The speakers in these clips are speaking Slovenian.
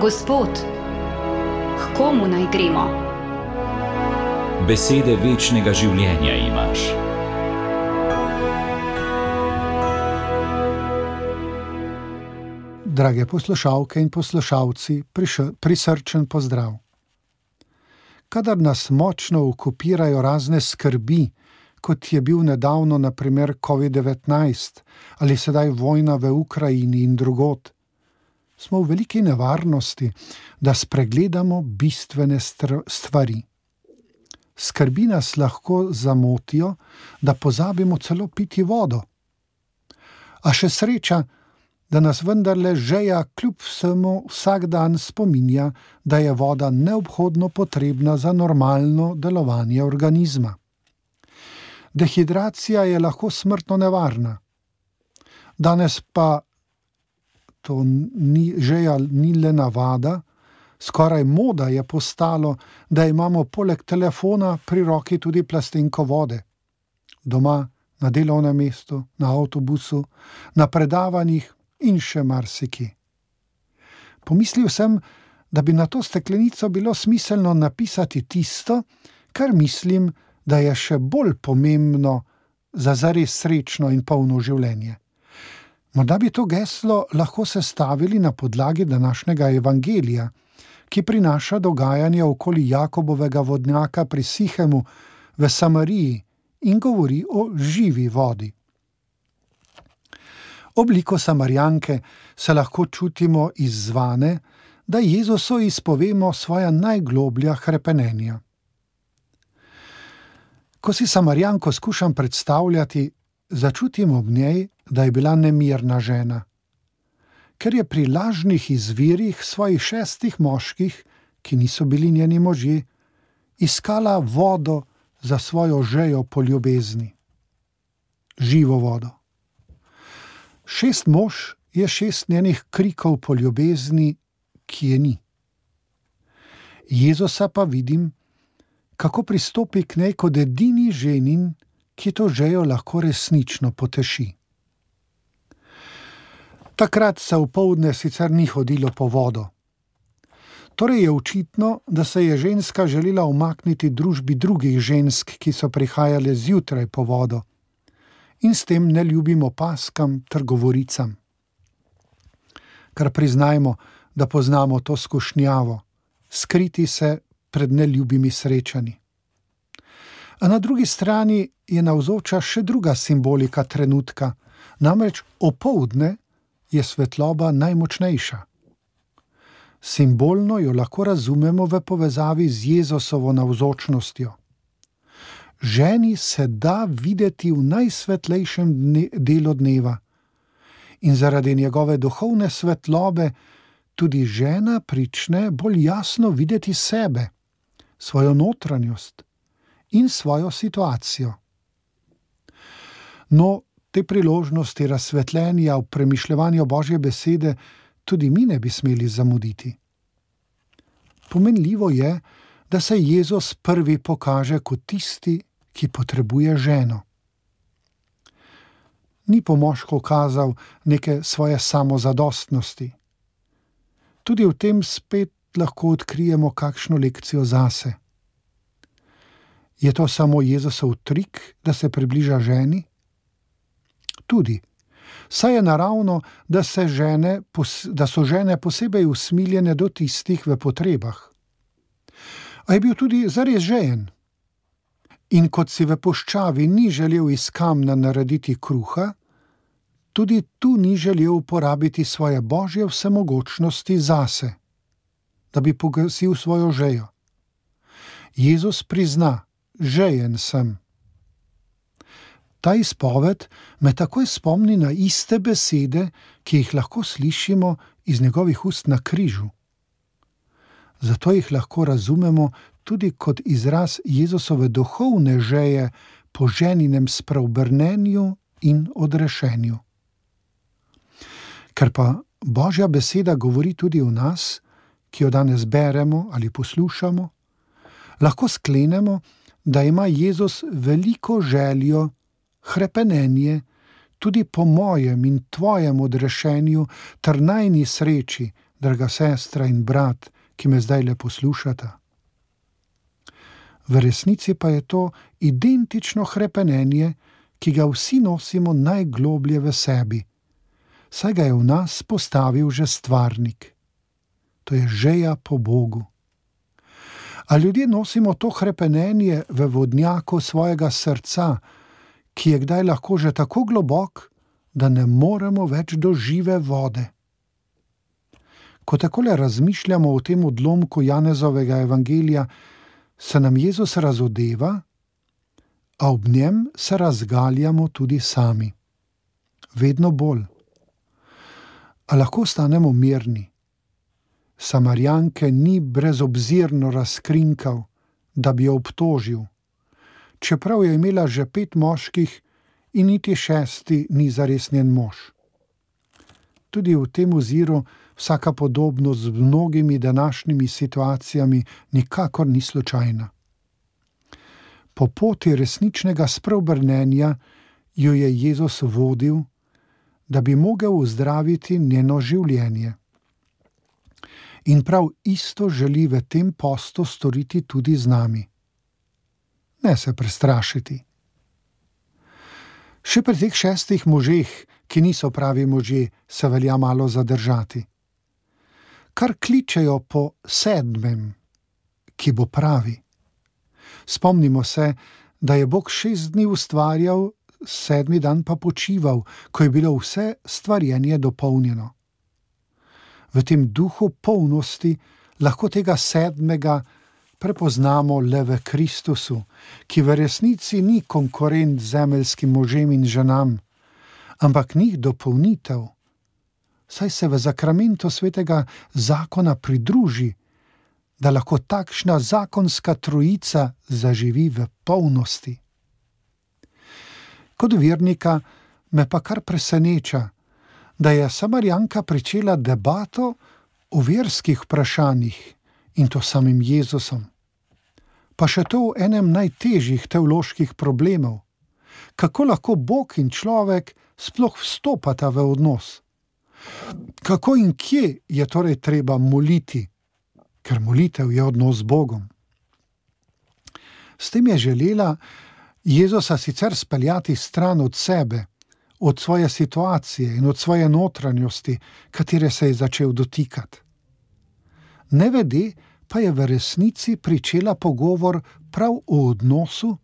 Gospod, k komu naj gremo? Besede večnega življenja imaš. Drage poslušalke in poslušalci, prisrčen pozdrav. Kadar nas močno okupirajo razne skrbi, kot je bil nedavno na primer COVID-19 ali sedaj vojna v Ukrajini in drugod, smo v veliki nevarnosti, da spregledamo bistvene stvari. Skrbi nas lahko zamotijo, da pozabimo celo piti vodo. A še sreča, da nas vendarle žeja kljub vsemu vsak dan spominja, da je voda neobhodno potrebna za normalno delovanje organizma. Dehidracija je lahko smrtno nevarna. Danes pa to žeja ni le navada, skoraj moda je postalo, da imamo poleg telefona pri roki tudi plastenko vode. Doma, na delovnem mestu, na avtobusu, na predavanjih in še marsikje. Pomislil sem, da bi na to steklenico bilo smiselno napisati tisto, kar mislim, da je še bolj pomembno za zares srečno in polno življenje. Morda bi to geslo lahko sestavili na podlagi današnjega evangelija, ki prinaša dogajanje okoli Jakobovega vodnjaka pri Sihemu v Samariji in govori o živi vodi. Obliko Samarijanke se lahko čutimo izzvane, da Jezusu izpovemo svoja najgloblja hrepenenja. Ko si Samarijanko skušam predstavljati, začutim ob njej, da je bila nemirna žena, ker je pri lažnih izvirih svojih 6 moških, ki niso bili njeni možje, iskala vodo za svojo žejo po ljubezni. Živo vodo. 6 mož je 6 njenih krikov po ljubezni, ki je ni. Jezusa pa vidim, kako pristopi k njej kot edini ženin, ki to žejo lahko resnično poteši. Takrat se opoldne sicer ni hodilo po vodo. Torej je očitno, da se je ženska želela umakniti družbi drugih žensk, ki so prihajale zjutraj po vodo, in s tem neljubim opaskam ter govoricam. Kar priznajmo, da poznamo to skušnjavo, skriti se pred neljubimi srečanji. A na drugi strani je navzoča še druga simbolika trenutka, namreč opoldne je svetloba najmočnejša. Simbolno jo lahko razumemo v povezavi z Jezusovo navzočnostjo. Ženi se da videti v najsvetlejšem delu dneva in zaradi njegove duhovne svetlobe tudi žena prične bolj jasno videti sebe, svojo notranjost in svojo situacijo. No, te priložnosti razsvetljenja v premišljevanju Božje besede tudi mi ne bi smeli zamuditi. Pomenljivo je, da se Jezus prvi pokaže kot tisti, ki potrebuje ženo. Ni po moško kazal neke svoje samozadostnosti. Tudi v tem spet lahko odkrijemo kakšno lekcijo zase. Je to samo Jezusov trik, da se približa ženi? Tudi. Saj je naravno, da so žene posebej usmiljene do tistih v potrebah. A je bil tudi zares žejen. In kot si v puščavi ni želel iz kamna narediti kruha, tudi tu ni želel uporabiti svoje božje vsemogočnosti zase, da bi pogasil svojo žejo. Jezus prizna, žejen sem. Ta izpoved me takoj spomni na iste besede, ki jih lahko slišimo iz njegovih ust na križu. Zato jih lahko razumemo tudi kot izraz Jezusove duhovne žeje po ženinem spreobrnenju in odrešenju. Ker pa Božja beseda govori tudi o nas, ki jo danes beremo ali poslušamo, lahko sklenemo, da ima Jezus veliko željo, hrepenenje, tudi po mojem in tvojem odrešenju ter najni sreči, draga sestra in brat, ki me zdaj le poslušata. V resnici pa je to identično hrepenenje, ki ga vsi nosimo najgloblje v sebi, saj ga je v nas postavil že stvarnik. To je žeja po Bogu. A ljudje nosimo to hrepenenje v vodnjaku svojega srca, ki je kdaj lahko že tako globok, da ne moremo več do žive vode. Ko takole razmišljamo o tem odlomku Janezovega evangelija, se nam Jezus razodeva, a ob njem se razgaljamo tudi sami. Vedno bolj. A lahko stanemo mirni. Samarijanke ni brezobzirno razkrinkal, da bi jo obtožil, čeprav je imela že 5 moških in niti 6. ni zares njen mož. Tudi v tem oziru vsaka podobnost z mnogimi današnjimi situacijami nikakor ni slučajna. Po poti resničnega spreobrnenja jo je Jezus vodil, da bi mogel uzdraviti njeno življenje. In prav isto želi v tem postu storiti tudi z nami. Ne se prestrašiti. Še pri teh 6 možeh, ki niso pravi možje, se velja malo zadržati. Kar kličejo po 7., ki bo pravi. Spomnimo se, da je Bog 6 dni ustvarjal, 7. dan pa počival, ko je bilo vse stvarjenje dopolnjeno. V tem duhu polnosti lahko tega 7. prepoznamo le v Kristusu, ki v resnici ni konkurent zemeljskim možem in ženam, ampak njih dopolnitev, saj se v zakramentu svetega zakona pridruži, da lahko takšna zakonska trojica zaživi v polnosti. Kot vernika me pa kar preseneča, da je Samarijanka pričela debato o verskih vprašanjih in to samim Jezusom. Pa še to v enem najtežjih teoloških problemov. Kako lahko Bog in človek sploh vstopata v odnos? Kako in kje je torej treba moliti? Ker molitev je odnos z Bogom. S tem je želela Jezusa sicer speljati stran od sebe, od svoje situacije in od svoje notranjosti, katere se je začel dotikati. Nevede pa je v resnici pričela pogovor prav o odnosu,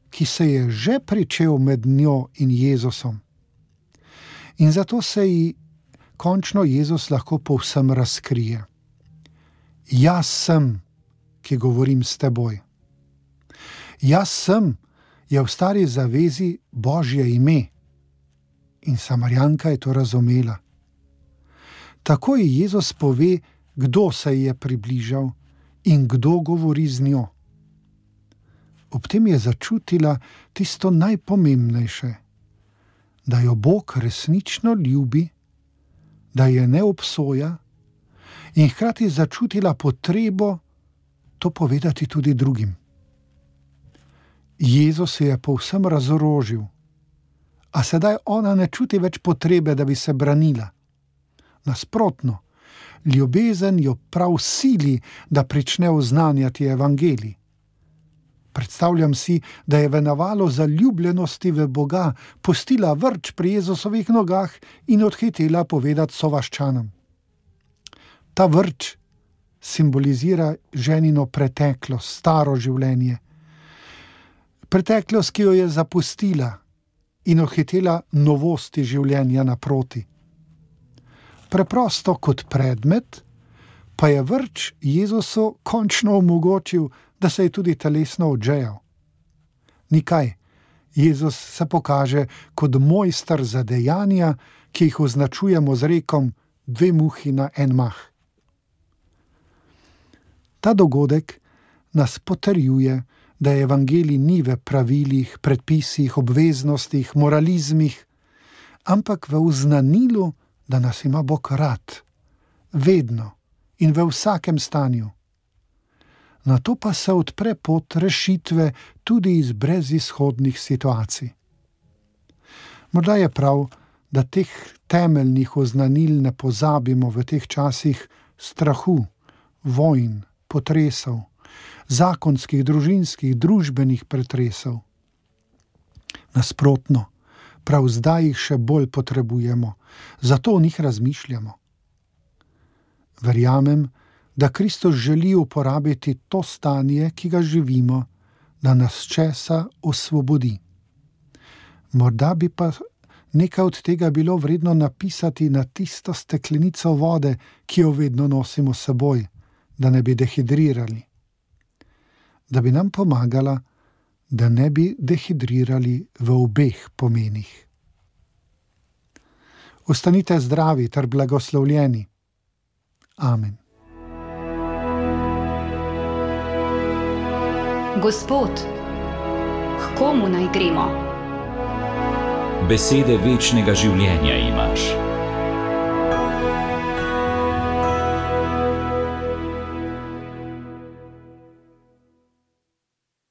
ki se je že pričel med njo in Jezusom. In zato se ji končno Jezus lahko povsem razkrije. Jaz sem, ki govorim s teboj. Jaz sem je v stari zavezi Božje ime. In Samarijanka je to razumela. Tako ji Jezus pove, kdo se ji je približal in kdo govori z njo. Ob tem je začutila tisto najpomembnejše, da jo Bog resnično ljubi, da je ne obsoja in hkrati začutila potrebo to povedati tudi drugim. Jezus se je povsem razorožil, a sedaj ona ne čuti več potrebe, da bi se branila. Nasprotno, ljubezen jo prav sili, da prične oznanjati evangelij. Predstavljam si, da je v navalu zaljubljenosti v Boga pustila vrč pri Jezusovih nogah in odhitela povedati sovaščanom. Ta vrč simbolizira ženino preteklost, staro življenje. Preteklost, ki jo je zapustila in odhitela novosti življenja naproti. Preprosto kot predmet pa je vrč Jezusu končno omogočil, da se je tudi telesno odžejal. Nikaj, Jezus se pokaže kot mojster za dejanja, ki jih označujemo z rekom 2 muhi na en mah. Ta dogodek nas potrjuje, da evangelij ni v pravilih, predpisih, obveznostih, moralizmih, ampak v uznanilu, da nas ima Bog rad, vedno in v vsakem stanju. Nato pa se odpre pot rešitve tudi iz brezizhodnih situacij. Morda je prav, da teh temeljnih oznanil ne pozabimo v teh časih strahu, vojn, potresov, zakonskih, družinskih, družbenih pretresov. Nasprotno, prav zdaj jih še bolj potrebujemo, zato o njih razmišljamo. Verjamem, da Kristus želi uporabiti to stanje, ki ga živimo, da nas česa osvobodi. Morda bi pa nekaj od tega bilo vredno napisati na tisto steklenico vode, ki jo vedno nosimo s seboj, da ne bi dehidrirali. Da bi nam pomagala, da ne bi dehidrirali v obeh pomenih. Ostanite zdravi ter blagoslovljeni. Amen. Gospod, h komu naj gremo? Besede večnega življenja imaš.